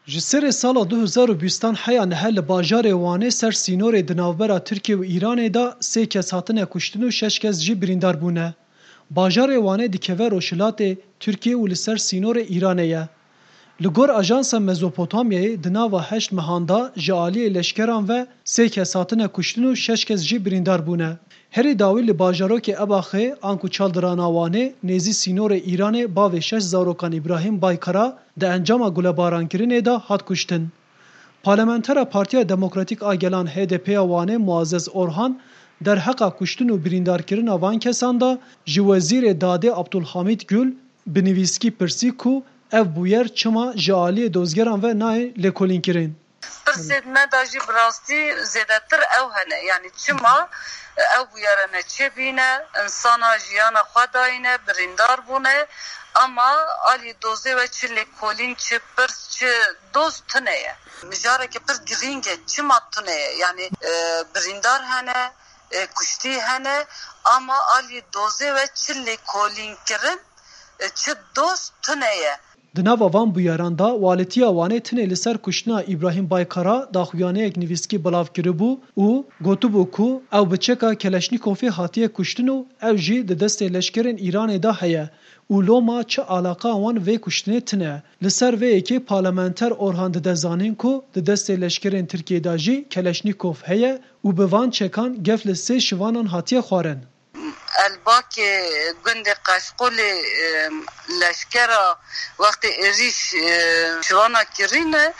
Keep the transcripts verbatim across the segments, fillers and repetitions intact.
Ji serê sala du hezar û bîstan heya niha li bajarê Wanê ser sînorê di navbera Tirkiye û Îranê de sê kes hatine kuştin û şeş kes jî birîndar bûne. Bajarê Wanê dikeve rojhilatê Tirkiye û li ser sînorê Îranê ye. Li gor Ajansa Mezopotamyayê di nava heşt mehan de ji aliyê leşkeran ve sê kes hatine kuştin û şeş kes jî birîndar bûne. Herî dawî li bajarokê Ebaxê anku Çaldirana Wanê nêzî sînorê Îranê bavê şeş zarokan Îbrahîm Baykara di encama gulebarankirinê de hat kuştin. Parlamentera Partiya Demokratîk a Gelan H D P ya Wanê Muazzez Orhan derheqa kuştin û birîndarkirina van kesan de ji Wezîrê Dadê Abdulhamîd Gül bi nivîskî pirsî ku ev bûyer çima ji aliyê dozgeran ve nayê lêkolînkirin. Pirsê me de jî bi rastî zêdetir ew hene. Yanî çima ew bûyerene çêbîne, insana jiyana xwe dayîne, birîndar bûne, ama alî dozê we çi lêkolîn, çi pirs, çi doz tune ye. Mijareke pir girîng e. Çima tune ye? Yanî, e, birîndar hene, e, kuştî hene, ama alî dozê we çi lêkolîn kirin, e, çi doz tune ye. Di nava van bûyeran de Walîtiya Wanê tinê li ser kuştina Îbrahîm Baykara daxuyaniyek nivîskî belav kiribû û gotibû ku ew bi çeka Keleşnîkovê hatiye kuştin û ew jî di destê leşkerên Îranê de heye û loma çi alaqa wan vê kuştinê tine. Li ser vê yekê parlamenter Orhan dide zanîn ku di destê leşkerên Tirkiyê de jî Keleşnîkov heye û bi van çekan gef li sê şivanan hatiye xwarin. Elbakê gundê Qeşqolê, e, leşkera wextê êrîş, e, şivana kirîne,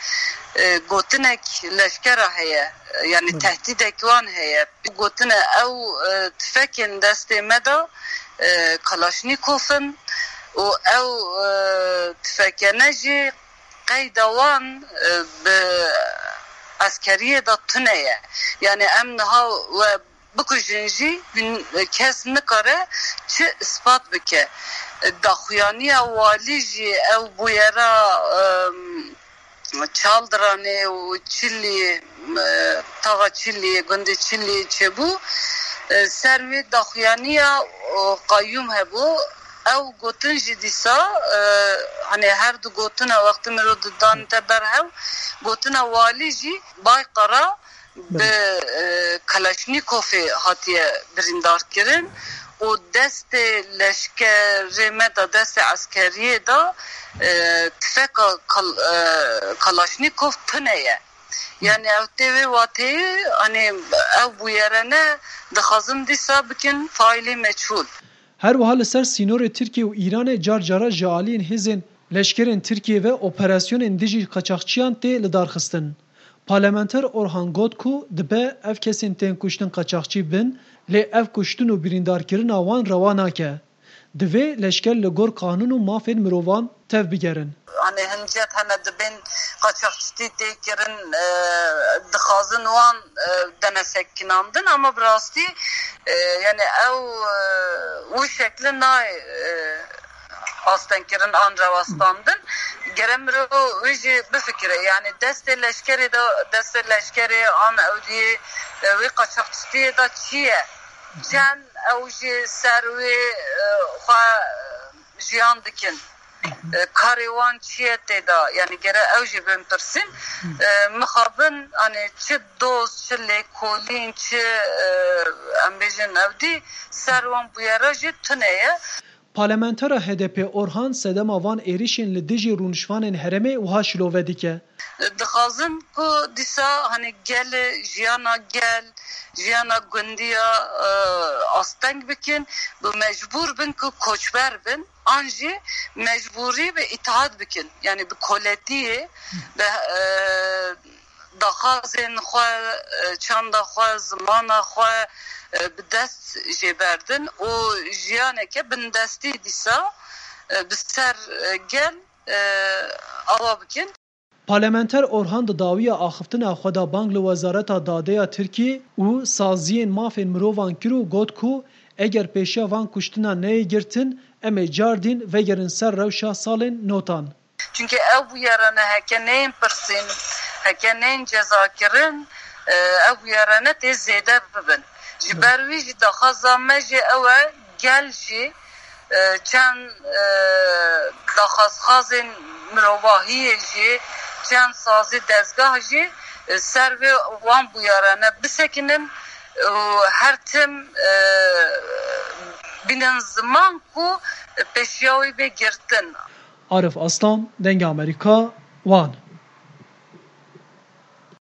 e, gotinek leşkera heye, yanî Hı. tehdîdek wan heye. Gotine ew, e, tifekên destê me de, e, Kalaşnîkov in û ew, e, tifekene jî qeyda wan, e, bi eskeriyê de tune ye. Yanî em niha we bikujin jî hin-, kes nikare çi ispat bike. Daxuyaniya walî jî ew bûyera, em, Çaldiranê û Çilî, e, taxa Çilî, gundê Çilî çêbû. E, ser wê daxuyaniya, o, qayûm hebû. Ew gotin jî dîsa, e, hani her du gotina wextê mirov didanite ber hev, gotina walî jî Baykara bi, e, Kalaşnîkovê hatiye birîndarkirin û destê leşkerê me de, destê eskeriyê de, e, tifeka Kal-, e, Kalaşnîkov tune ye. Yani ew tê wê wateyê, hani ew bûyerene dixwazin dîsa bikin faîlê meçhûl. Her wiha li ser sînorê Tirkiye û Îranê car cara ji aliyên hêzên leşkerên Tirkiye ve operasyonên dijî qaçaxçiyan tê lidarxistin. Parlamenter Orhan got ku dibe ev kesên tên kuştin qaçaxçî bin, lê ev kuştin û birîndarkirina wan rewa nake. Divê leşker li gor qanûn û mafên mirovan tev bigerin. Hani hincet hene dibên qaçaxçitî tê kirin, e, dixwazin wan, e, dene sekinandin, ama bi rastî, e, yani ew, e, wî şekli nayê, e, astengkirin an rewestandin. Gere mirov wî jî bifikire. Yani destê leşkerê de, destê leşkerê an ewdiyê, e, wî qaçaxçitiyê de çi ye? Çend ew jî ser wê, e, xwe jiyan dikin? E, karê wan çi ye tê de? Yani gere ew jî bin pirsîn. E, mixabin, hani çi doz, çi lêkolîn, çi, e, em bêjin ewdî ser wan bûyera jî tune ye. Parlamentera H D P Orhan sedema van êrişên li dijî rûnişvanên herêmê wiha şilove dike. Dixwazin ku dîsa, hani, gel, jiyana gel, jiyana gundiya, e, asteng bikin, bi mecbûr bin ku koçber bin, an jî mecbûrî bi îtaat bikin. Yani bi koletiyê, bi, e, daxwazên xwe, e, çanda xwe, zimana xwe, e, bi dest jê berdin û jiyaneke bindestî dîsa, e, bi ser, e, gel, e, awa bikin. Parlamenter Orhan di dawiya axiftina xwe de bang li Wezareta Dadê ya Tirkiyê û saziyên mafên mirovan kir û got ku eger pêşiya van kuştinan neyê girtin, em ê cardîn vegerin ser rewşa salên notan. Çunke ew bûyerene heke neyên pirsîn, heke neyên cezakirin, e, ew bûyerene tê zêde bibin. Ji ber wî jî daxwaza me jî ew e, gel jî, e, çend, e, daxwazxazên mirovahiyê jî, Çend sazî dezgah jî, e, ser vê wan bûyerane bisekinin û her tim, e, bînin ziman ku pêşiya wî bê girtin. Arif Aslan, Dengê Amerîka, Wan.